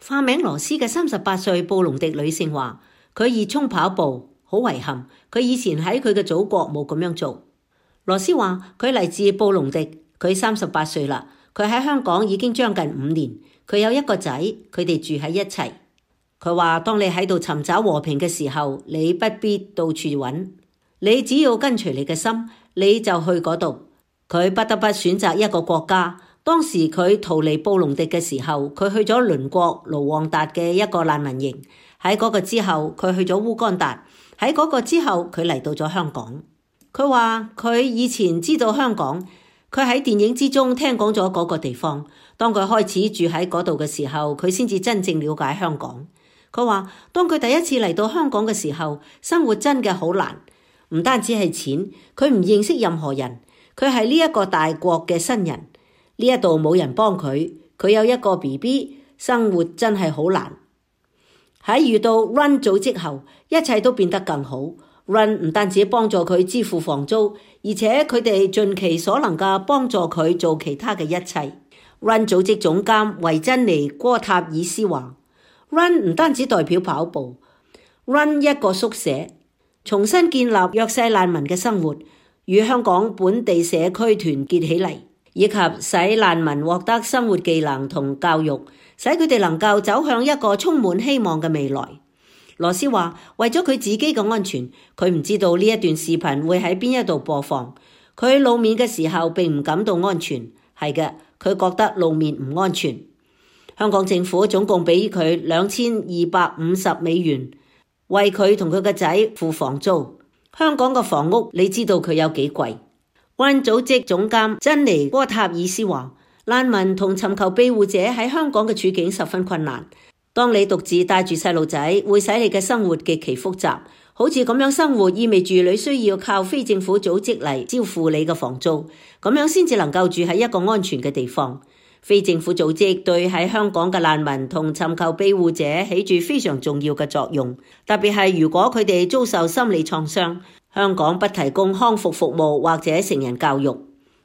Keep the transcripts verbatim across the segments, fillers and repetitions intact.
化名羅斯嘅三十八歲布隆迪女性話，佢熱衷跑步，好遺憾，佢以前喺佢嘅祖國冇咁樣做。羅斯話佢嚟自布隆迪，佢三十八歲啦，佢喺香港已經將近五年，佢有一個仔，佢哋住喺一齊。佢話當你喺度尋找和平嘅時候，你不必到處揾，你只要跟隨你嘅心，你就去嗰度。佢不得不選擇一個國家。當時佢逃離布隆迪嘅時候，佢去咗鄰國盧旺達嘅一個難民營。喺嗰個之後，佢去咗烏干達。喺嗰個之後，佢嚟到咗香港。佢話佢以前知道香港，佢喺電影之中聽講咗嗰個地方。當佢開始住喺嗰度嘅時候，佢先至真正了解香港。佢話當佢第一次嚟到香港嘅時候，生活真嘅好難，唔單止係錢，佢唔認識任何人，佢係呢一個大國嘅新人，呢一度冇人幫佢，佢有一個 B B， 生活真係好難。喺遇到 Run 組織後，一切都變得更好。Run 唔單止幫助佢支付房租，而且佢哋盡其所能嘅幫助佢做其他嘅一切。Run 組織總監維珍妮戈塔爾斯話，Run 唔單止代表跑步 ，Run 一個宿舍，重新建立弱勢難民嘅生活，與香港本地社區團結起嚟，以及使難民獲得生活技能同教育，使佢哋能夠走向一個充滿希望嘅未來。羅斯話，為咗佢自己嘅安全，佢唔知道呢一段視頻會喺邊一度播放。佢露面嘅時候並唔感到安全，係嘅，佢覺得露面唔安全。香港政府總共俾佢兩千二百五十美元，為佢同佢個仔付房租。香港嘅房屋你知道佢有幾貴。Run 組織總監珍妮戈塔爾斯話，難民同尋求庇護者喺香港嘅處境十分困難。當你獨自帶住細路仔，會使你嘅生活極其複雜。好似咁樣生活意味住你需要靠非政府組織嚟支付你嘅房租，咁樣先至能夠住喺一個安全嘅地方。非政府組織對喺香港嘅難民同尋求庇護者起住非常重要嘅作用，特別係如果佢哋遭受心理創傷。香港不提供康復服務或者成人教育。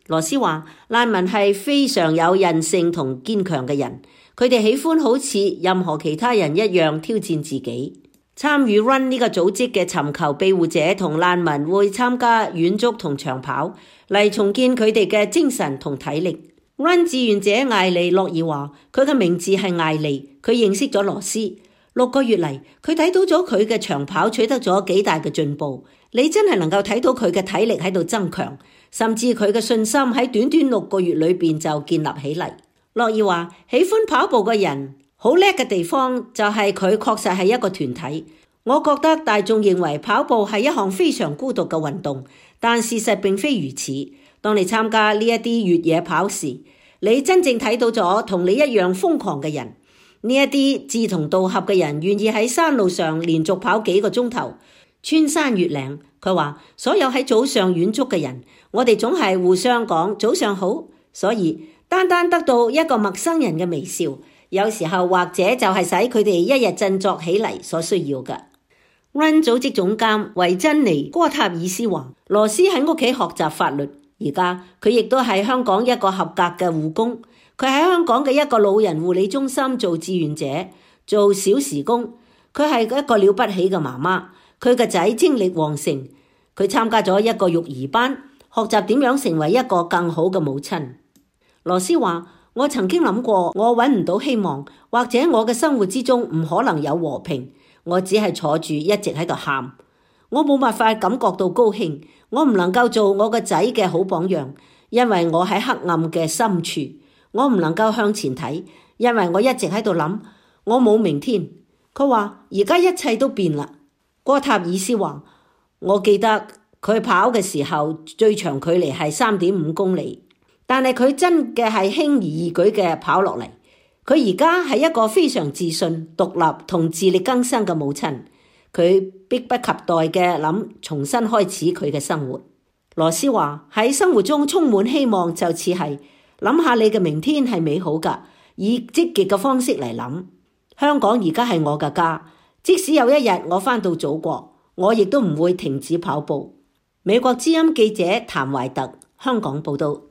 羅斯話，難民係非常有韌性同堅強嘅人，佢哋喜歡好似任何其他人一樣挑戰自己。參與 Run 呢個組織嘅尋求庇護者同難民會參加遠足同長跑，嚟重建佢哋嘅精神同體力。Run 志願者艾莉洛爾話，佢嘅名字係艾莉，佢認識咗羅斯。六個月嚟，佢睇到咗佢嘅長跑取得咗幾大嘅進步。你真係能夠睇到佢嘅體力喺度增強，甚至佢嘅信心喺短短六個月裏邊就建立起嚟。洛爾話，喜歡跑步嘅人好叻嘅地方就係佢確實係一個團體。我覺得大眾認為跑步係一項非常孤獨嘅運動，但事實並非如此。當你參加呢一啲越野跑時，你真正睇到咗同你一樣瘋狂嘅人。呢一啲志同道合嘅人願意喺山路上連續跑幾個鐘頭，穿山越嶺。佢話所有喺早上遠足嘅人，我哋總係互相講早上好，所以單單得到一個陌生人嘅微笑，有時候或者就係使佢哋一日振作起嚟所需要嘅。Run 組織總監維珍妮戈塔爾斯話，羅斯喺屋企學習法律，而家佢亦都係香港一個合格嘅護工。佢喺香港嘅一個老人護理中心做志願者，做小時工。佢係一個了不起嘅媽媽，佢個仔精力旺盛。佢參加咗一個育兒班，學習點樣成為一個更好嘅母親。羅斯話，我曾經諗過我揾唔到希望，或者我嘅生活之中唔可能有和平。我只係坐住一直喺度喊，我冇辦法感覺到高興。我唔能夠做我個仔嘅好榜樣，因為我喺黑暗嘅深處。我唔能夠向前睇，因為我一直喺度諗，我冇明天。佢話而家一切都變啦。戈塔爾斯話，我記得佢跑嘅時候最長距離係三點五公里，但係佢真嘅係輕而易舉嘅跑落嚟。佢而家係一個非常自信、獨立同自力更生嘅母親。佢迫不及待嘅諗重新開始佢嘅生活。羅斯話，喺生活中充滿希望，就似係諗下你嘅明天係美好㗎，以積極嘅方式嚟諗。香港而家係我嘅家，即使有一日我返到祖國，我亦都唔會停止跑步。美國之音記者譚懷特，香港報道。